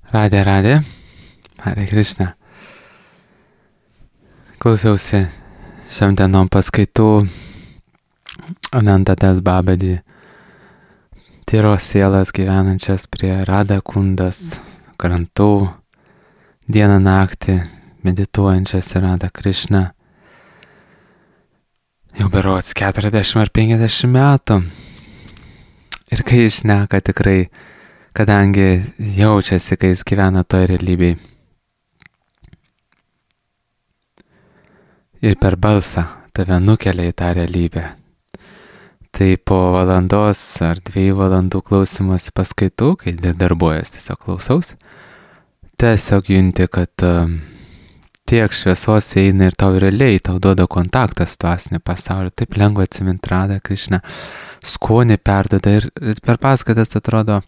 Radė, Hare Krishna. Klausiausi šiam dienom paskaitų Anantadas Babaji, tyros sielas gyvenančias prie Radha Kundas krantų, dieną naktį medituojančias į Radha Krishna. Jau berods 40 ar 50 metų. Ir kai jis šneka tikrai, kadangi jaučiasi, kai jis gyvena toje realybėje. Ir per balsą tave nukelia į tą realybę. Tai po valandos ar 2 valandų klausymosi paskaitų, kai darbuojas tiesiog klausaus, tiesiog junti, kad tiek šviesos eina ir tau realiai, tau duoda kontaktą su dvasiniu pasauliu, taip lengva atsiminti Radha Krishna, skonį perduoda ir per paskaitas atrodo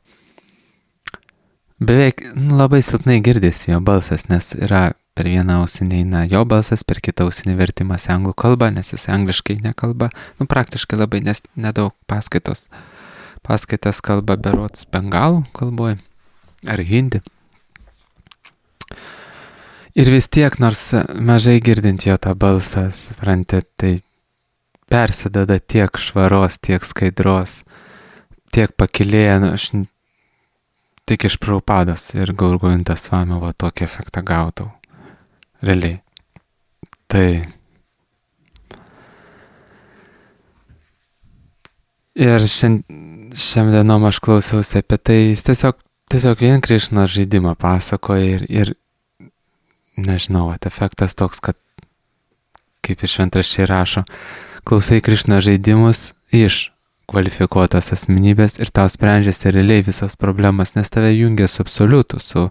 beveik labai silpnai girdisi jo balsas, nes yra per vieną ausinį eina jo balsas, per kitą ausinį vertimas į anglų kalbą, nes jis angliškai nekalba, praktiškai labai nedaug paskaitos. Paskaitas kalba berods bengalų kalboje ar hindi. Ir vis tiek, nors mažai girdint jo tą balsą, suprantate, tai persideda tiek švaros, tiek skaidros, tiek pakilėja, aš tik iš Prabhupados ir Gaurgovindas Svamio tokį efektą gaudau. Realiai. Tai. Ir šiam dienom aš klausiausi apie tai, jis tiesiog vien Krišnos žaidimą pasakoja ir nežinau, efektas toks, kad kaip iš šventraščiai rašo, klausai Krišnos žaidimus iš kvalifikuotos asmenybės ir tau sprendžiasi realiai visos problemas, nes tave jungia su absoliutu, su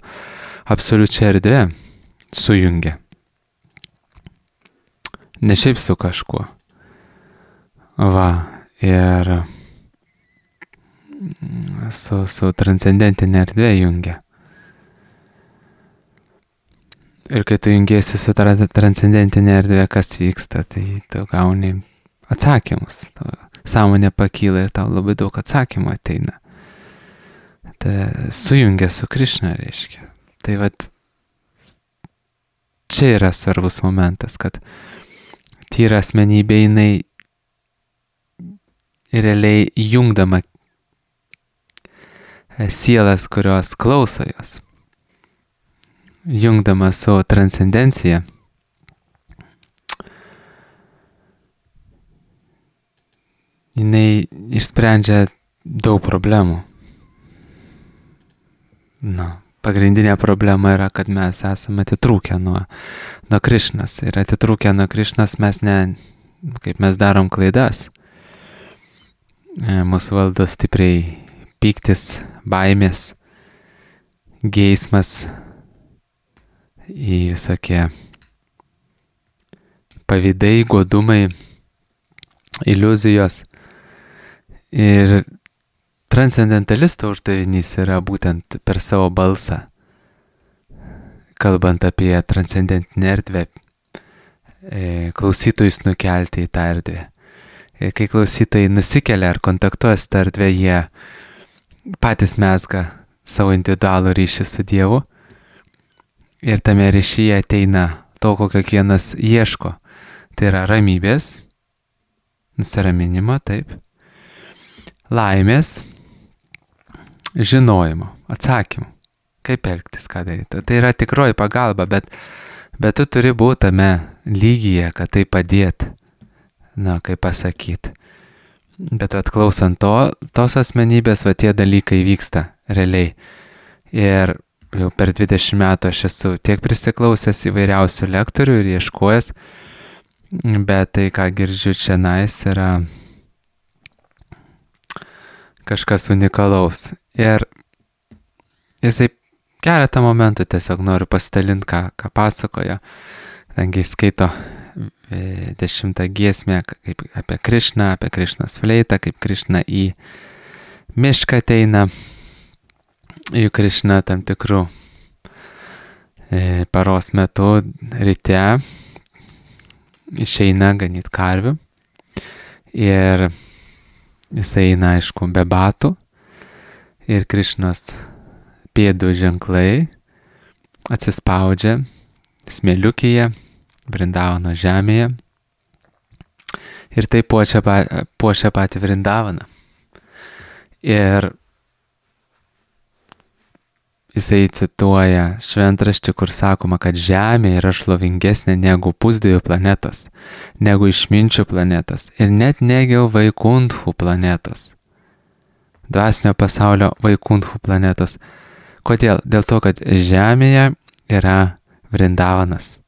absoliučia erdvė. Sujungia. Ne šiaip su kažkuo. Ir su transcendentinė erdvė jungia. Ir kai tu jungiesi su transcendentinė erdvė, kas vyksta, tai tu gauni atsakymus. Sąmonė pakyla ir tau labai daug atsakymų ateina. Tai sujungia su Krišna, reiškia. Tai čia yra svarbus momentas, kad tyra asmenybė jinai realiai jungdama sielas, kurios klauso jos, jungdama su transcendencija, jinai išsprendžia daug problemų. Pagrindinė problema yra, kad mes esame atitrūkę nuo Krišnos. Ir atitrūkę nuo Krišnos kaip mes darom klaidas. Mūsų valdo stipriai pyktis, baimės, geismas, į visokie pavydai, godumai, iliuzijos. Ir transcendentalisto uždavinys yra būtent per savo balsą, kalbant apie transcendentinę erdvę, klausytojus nukelti į tą erdvę. Ir kai klausytojai nusikelia ar kontaktuoja su tą erdvę, jie patys mezga savo individualų ryšį su Dievu. Ir tame ryšyje ateina to, ko kiekvienas ieško. Tai yra ramybės, nusiraminimo, taip, laimės, žinojimo, atsakymų, kaip elgtis, ką daryti. Tai yra tikroji pagalba, bet tu turi būti tame lygyje, kad tai padėti, kaip pasakyti. Bet klausant tos asmenybės, tie dalykai vyksta realiai. Ir jau per 20 metų aš esu tiek prisiklausęs įvairiausių lektorių ir ieškojęs, bet tai, ką girdžiu čianais, yra kažkas unikalaus. Ir jisai keletą momentų tiesiog noriu pasidalinti, ką pasakoja. Kadangi jis skaito 10 giesmę apie Krišną, apie Krišnos fleitą, kaip Krišna į mišką ateina. Juk Krišna tam tikrų paros metu ryte išeina ganyti karvių. Ir jis eina, aišku, be batų. Ir Krišnos pėdų ženklai atsispaudžia smėliukėje, Vrindavano žemėje ir tai puošia patį Vrindavaną. Ir jisai cituoja šventraštį, kur sakoma, kad Žemė yra šlovingesnė negu pusdievių planetos, negu išminčių planetos ir net negu Vaikunthų planetos. Dvasinio pasaulio Vaikunthų planetos. Kodėl? Dėl to, kad Žemėje yra Vrindavanas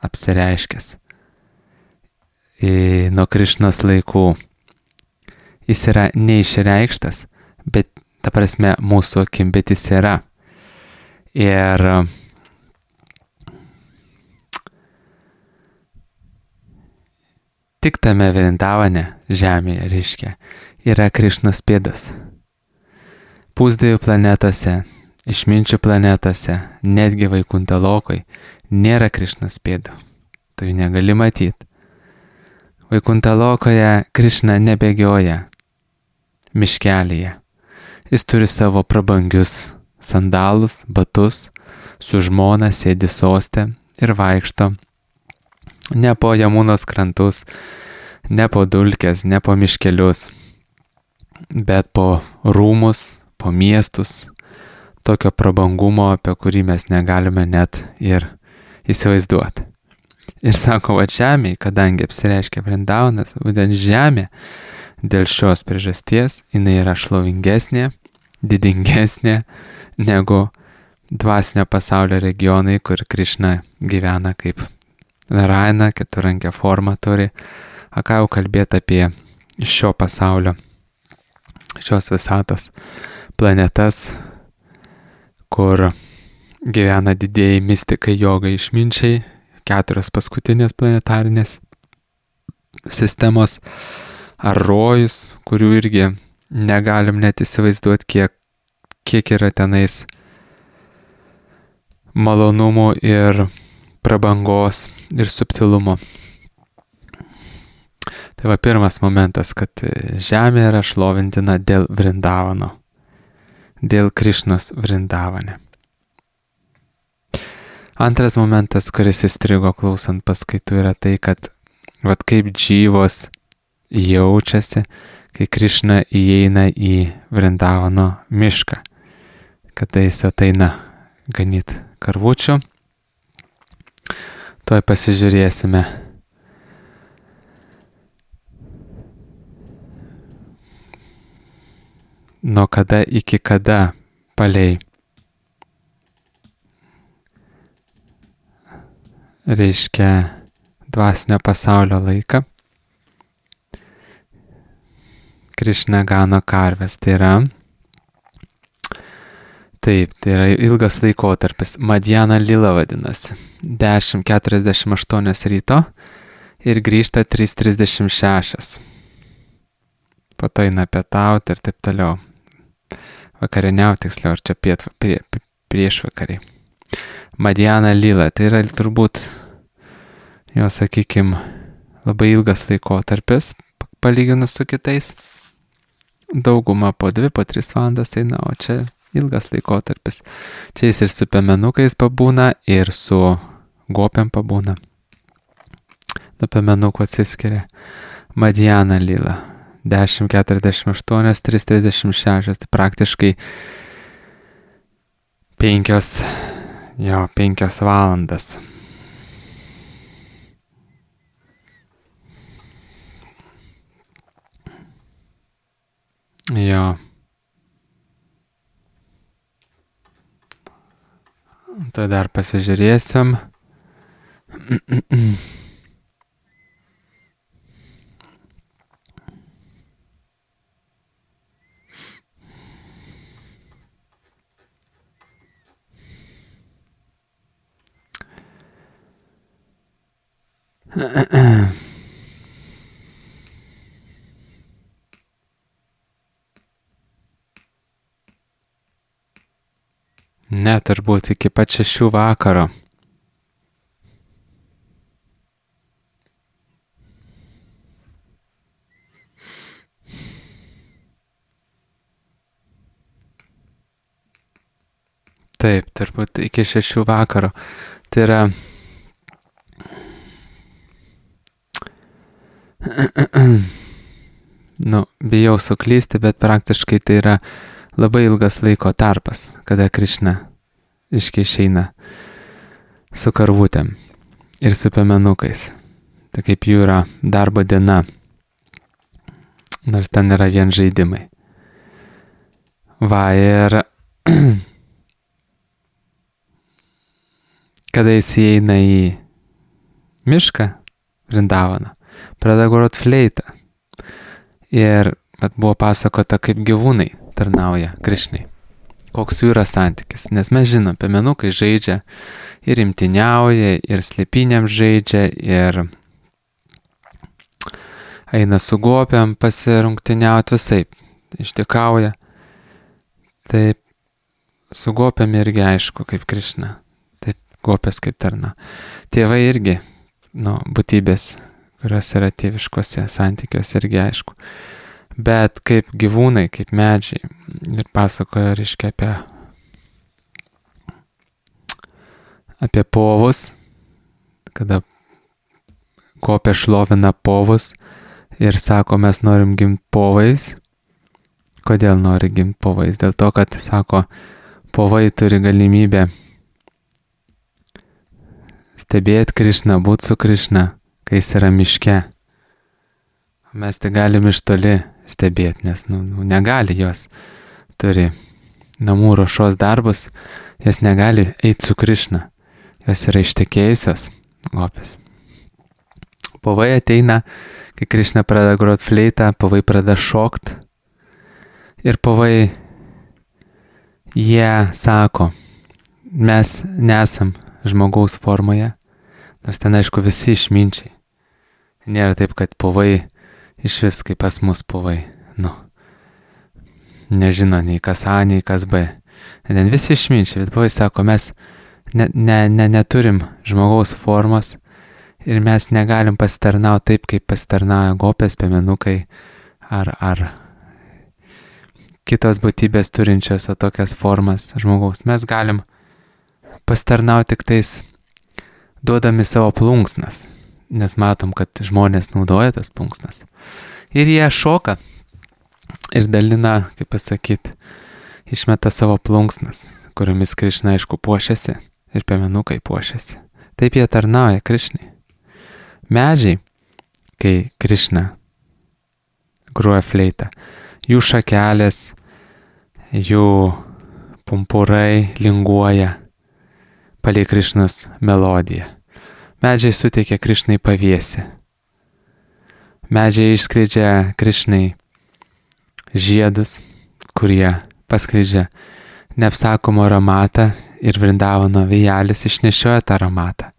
apsireiškęs nuo Krišnos laikų. Jis yra neišreikštas, bet ta prasme mūsų akim, bet jis yra. Ir tik tame Vrindavane žemėje, reiškia, yra Krišnos pėdos. Pusdievių planetose, išminčių planetose, netgi Vaikuntha lokoj nėra Krišnos pėdų. Tu jų negali matyti. Vaikuntha lokoje Krišna nebėgioja miškelyje. Jis turi savo prabangius sandalus, batus, su žmona sėdi soste ir vaikšto ne po Jamunos krantus, ne po dulkes, ne po miškelius, bet po rūmus, po miestus, tokio prabangumo, apie kurį mes negalime net ir įsivaizduoti. Ir sako, va žemė, kadangi apsireiškia Vrindavanas, būtent žemė, dėl šios priežasties jinai yra šlovingesnė, didingesnė negu dvasinio pasaulio regionai, kur Krišna gyvena kaip Narayana, keturankę formą turi. A ką jau kalbėti apie šio pasaulio, šios visatos planetas, kur gyvena didieji mistikai, jogai, išminčiai, 4 paskutinės planetarinės sistemos, ar rojus, kurių irgi negalim net įsivaizduoti, kiek yra tenais malonumų ir prabangos ir subtilumo. Tai va pirmas momentas, kad žemė yra šlovintina dėl Vrindavano, dėl Krišnos Vrindavane. Antras momentas, kuris įstrigo klausant paskaitų, yra tai, kad vat kaip džyvos jaučiasi, kai Krišna įeina į Vrindavano mišką, kada jis ateina ganyt karvučių. Tuoj pasižiūrėsime. Nuo kada iki kada palei reiškia dvasinio pasaulio laiką Krišna gano karves. Tai yra ilgas laikotarpis. Madhyana lila vadinasi. 10:48 ryto ir grįžta 3:36. Po to eina pietauti ir taip toliau. Vakarieniauti tiksliau, ar čia priešvakariai. Madhyana lila, tai yra turbūt, jo sakykime, labai ilgas laikotarpis, palyginus su kitais. Dauguma po 2-3 valandas eina, o čia ilgas laikotarpis. Čia jis ir su piemenukais pabūna, ir su gopiam pabūna. Nuo piemenukų atsiskiria. Madhyana lila. 10:48, 3:36, tai praktiškai 5 valandas. Jo. Tai dar pasižiūrėsim. Ne, turbūt iki pat 6 vakaro. Taip, turbūt iki 6 vakaro. Tai yra bijau suklysti, bet praktiškai tai yra labai ilgas laiko tarpas, kada Krišna išeina su karvutėm ir su piemenukais. Tai kaip jų yra darbo diena, nors ten yra vien žaidimai. Va, ir kada jis įeina į mišką Vrindavaną, pradeda grot fleitą. Ir buvo pasakota, kaip gyvūnai tarnauja Krišnai. Koks jų yra santykis. Nes mes žinom, piemenukai žaidžia ir imtyniauja, ir slėpynėm žaidžia, ir eina su gopiam pasirungtyniauti visaip. Ištikauja. Taip, su gopiam irgi aišku, kaip Krišna. Taip, gopės kaip tarna. Tėvai irgi, būtybės, kurios yra tėviškose santykiuose irgi aišku. Bet kaip gyvūnai, kaip medžiai. Ir pasakoja, reiškia, apie povus, kada gopė šlovina povus ir sako, mes norim gimti povais. Kodėl nori gimti povais? Dėl to, kad, sako, povai turi galimybę stebėti Krišną, būti su Krišna, kai jis yra miške. Mes tai galim iš toli stebėti, nes negali jos, turi namų ruošos darbus, jos negali eiti su Krišna, jos yra ištekėjusios gopės. Povai ateina, kai Krišna pradeda grot fleitą, povai pradeda šokt ir povai, jie sako, mes nesam žmogaus formoje, nors ten aišku visi išminčiai. Nėra taip, kad povai iš vis kaip pas mus povai, nežino nei kas A, nei kas B. Ten visi išminčiai, bet povai sako, mes neturim žmogaus formos ir mes negalim pasitarnauti taip, kaip pasitarnauja gopės, piemenukai ar kitos būtybės turinčios tokias formas žmogaus. Mes galim pasitarnauti tik tais duodami savo plunksnas, nes matom, kad žmonės naudoja tas plunksnas. Ir jie šoka ir dalina, kaip pasakyti, išmeta savo plunksnas, kuriomis Krišna aišku puošiasi ir piemenukai puošiasi. Taip jie tarnauja Krišnai. Medžiai, kai Krišna groja fleitą, jų šakelės, jų pumpurai linguoja palei Krišnos melodiją. Medžiai suteikia Krišnai pavėsį. Medžiai išskleidžia Krišnai žiedus, kurie paskleidžia neapsakomą aromatą ir Vrindavano vėjelis išnešioja tą aromatą.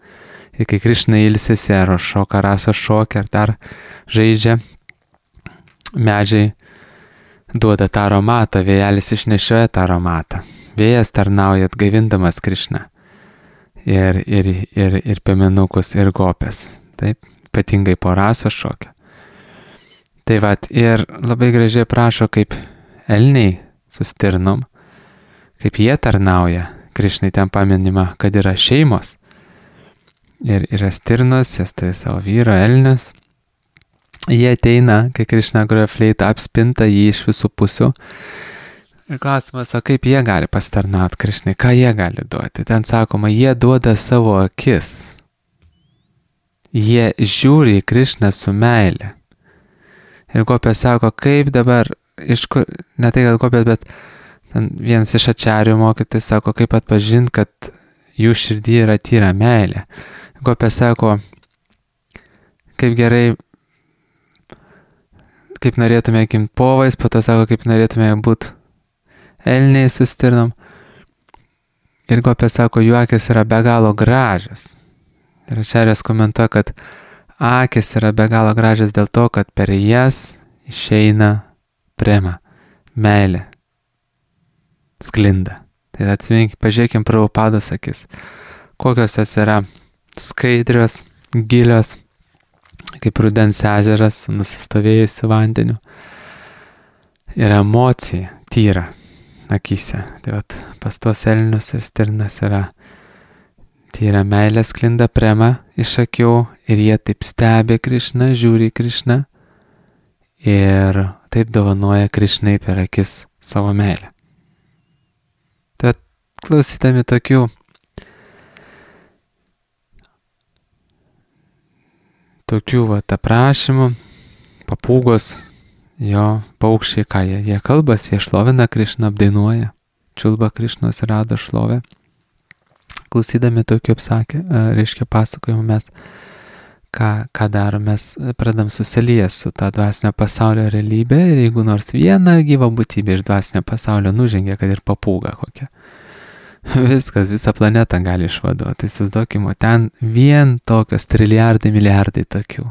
Ir kai Krišna ilsisi, ar šoka rasos šokį, ar dar žaidžia, medžiai duoda tą aromatą, vėjelis išnešioja tą aromatą. Vėjas tarnauja atgaivindamas Krišną. Ir piemenukus, ir gopės. Taip, ypatingai po rasos šokio. Tai vat, ir labai gražiai prašo, kaip elniai su stirnom, kaip jie tarnauja. Krišnai ten paminima, kad yra šeimos. Ir yra stirnos, jas turi savo vyrą, elnius. Jie ateina, kai Krišna groja fleitą, apspinta jį iš visų pusių. Ir klausimas, o kaip jie gali pasitarnauti Krišnai, ką jie gali duoti? Ten sakoma, jie duoda savo akis. Jie žiūri į Krišną su meile. Ir gopės sako, kaip dabar, ne tai, kad gopės, bet vienas iš ačarių mokytojų sako, kaip atpažinti, kad jų širdį yra tyra meilė. Gopės sako, kaip gerai, kaip norėtume gimti povais, po to sako, kaip norėtume būti elniai su stirnom. Ir gopės sako, jų akis yra be galo gražios. Ir ačarės komentuoja, kad akis yra be galo gražios dėl to, kad per jas išeina prema, meilė, sklinda. Tai atsiminkime, pažiūrėkim Prabhupados akis. Kokios jos yra skaidrios, gilios, kaip rudens ežeras su nusistovėjusiu vandeniu. Ir emocija tyra. akyse. Tai vat pas tuos elnius ir stirnas yra tyra meilė sklinda prema iš akių ir jie taip stebi Krišną, žiūri Krišną ir taip dovanoja Krišnai per akis savo meilę. Tad klausydami tokių vat aprašymų, papūgos, jo paukščiai, ką jie kalbasi, jie šlovina Krišną, apdainuoja, čiulba Krišnos ir rado šlovę. Klausydami tokių reiškia pasakojimų mes, ką darom, mes pradam susilyję su tą dvasinio pasaulio realybę ir jeigu nors viena gyva būtybė iš dvasinio pasaulio nužengia, kad ir papūga kokia, viskas, visą planetą gali išvaduoti. Įsivaizduokime, ten vien tokios trilijardai, milijardai tokių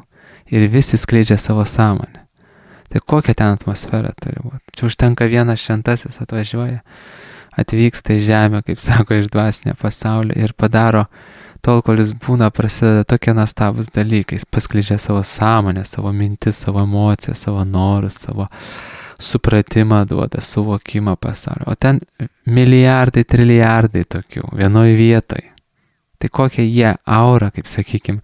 ir visi skleidžia savo sąmonę. Tai kokia ten atmosfera turi būti? Čia užtenka vienas šventasis atvažiuoja, atvyksta į žemę, kaip sako, iš dvasinio pasaulio ir padaro tol, kol jis būna, prasideda tokie nuostabūs dalykai. Jis paskleidžia savo sąmonę, savo mintis, savo emocijas, savo norus, savo supratimą duoda, suvokimą pasaulio. O ten milijardai, trilijardai tokių, vienoj vietoj. Tai kokią jie aurą, kaip sakykim,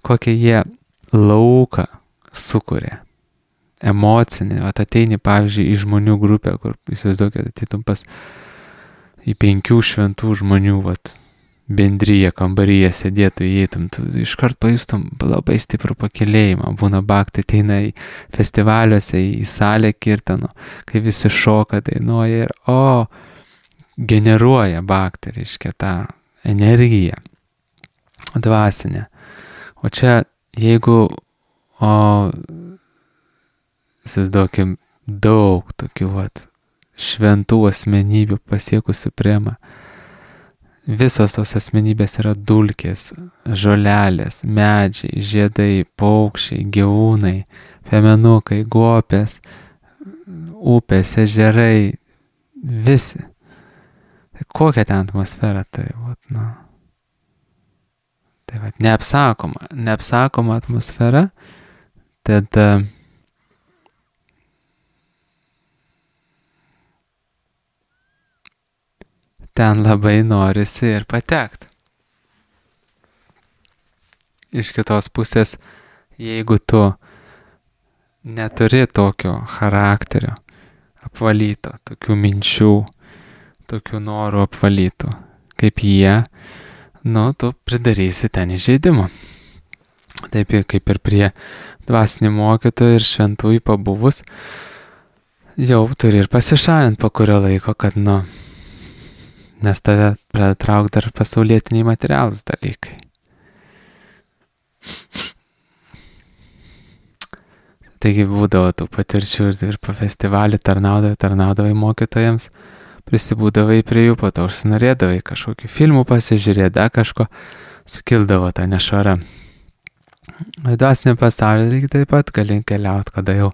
kokią jie lauką sukuria. Emocinį, ateini, pavyzdžiui, į žmonių grupę, kur įsivaizduokit, ateitum pas į 5 šventų žmonių, bendryje, kambaryje sėdėtų, įeitum, tu iškart pajustum labai stiprų pakilėjimą. Būna bhakti, ateina į festivaliuose, į salę kirtanų, kai visi šoka, dainuoja ir generuoja bhakti, reiškia tą energiją dvasinę. O čia, jeigu, įsivaizduokim, daug tokių šventų asmenybių pasiekusių premą. Visos tos asmenybės yra dulkės, žolelės, medžiai, žiedai, paukščiai, gyvūnai, femenukai, guopės, upės, ežerai, visi. Tai kokia ten atmosfera turi būti, Tai neapsakoma atmosfera, tad ten labai norisi ir patekti. Iš kitos pusės, jeigu tu neturi tokio charakterio apvalyto, tokių minčių, tokių norų apvalytų, kaip jie, tu pridarysi ten įžeidimų. Taip kaip ir prie dvasinių mokytojų ir šventųjų pabuvus, jau turi ir pasišalinti po kurio laiko, kad, nes tave pradeda traukti dar pasaulietiniai materialūs dalykai. Taigi būdavo tų patirčių ir po festivalį tarnaudavai mokytojams, prisibūdavai prie jų, po to užsinorėdavai kažkokių filmų pasižiūrėti, kažko, sukildavo tą nešvarą. Dvasinį pasaulį reikia taip pat gali keliauti, kada jau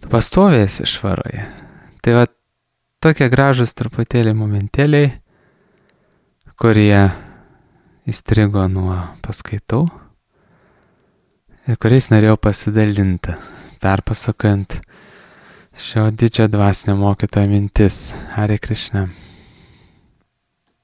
tu pastovėsi švaroje. Tai tokie gražus truputėlį momentėliai, kurie įstrigo nuo paskaitų ir kuriais norėjau pasidalinti, perpasakojant šio didžio dvasinio mokytojo mintis. Hare Krishna.